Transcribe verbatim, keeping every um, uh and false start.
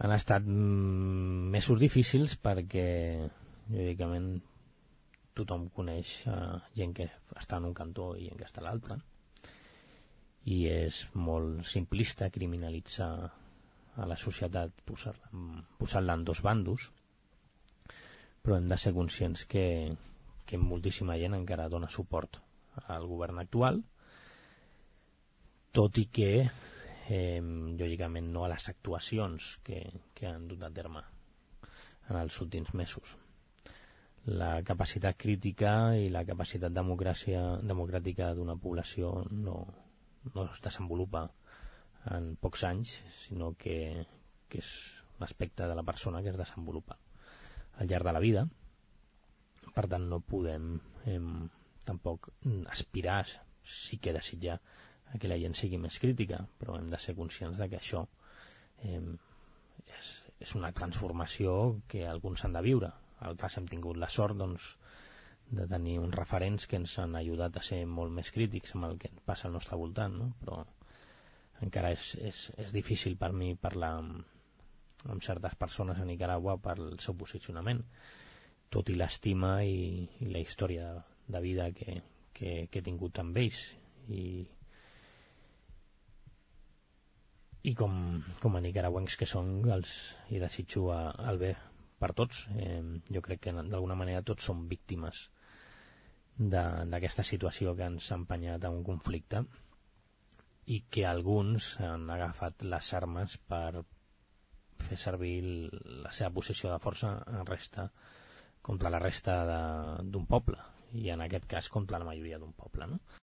Han estat mm, mesos difícils perquè, lògicament, tothom coneix uh, gent que està en un cantó i gent que està a l'altre, i és molt simplista criminalitzar a la societat posar-la posar-la en dos bandos, però hem de ser conscients que, que moltíssima gent encara dona suport al govern actual, tot i que eh, lògicament no a les actuacions que, que han dut a terme en els últims mesos. La capacitat crítica i la capacitat democràcia, democràtica d'una població no, no es desenvolupa en pocs anys, sinó que, que és un aspecte de la persona que es desenvolupa al llarg de la vida. Per tant, no podem eh, tampoc aspirar, sí que desitjar que la gent sigui més crítica, però hem de ser conscients de que això eh, és, és una transformació que alguns han de viure. Altres hem tingut la sort, doncs, de tenir uns referents que ens han ajudat a ser molt més crítics amb el que passa al nostre voltant, no? Però encara és, és, és difícil per mi parlar amb, amb certes persones a Nicaragua pel seu posicionament, tot i l'estima i, i la història de, de vida que, que, que he tingut amb ells. I, i com, com a nicaragüencs que són, els hi desitjo a, el bé per tots. Eh, jo crec que d'alguna manera tots som víctimes d'aquesta situació que ens ha empenyat a un conflicte i que alguns han agafat les armes per fer servir la seva posició de força en resta, contra la resta d'un poble, i en aquest cas contra la majoria d'un poble, no?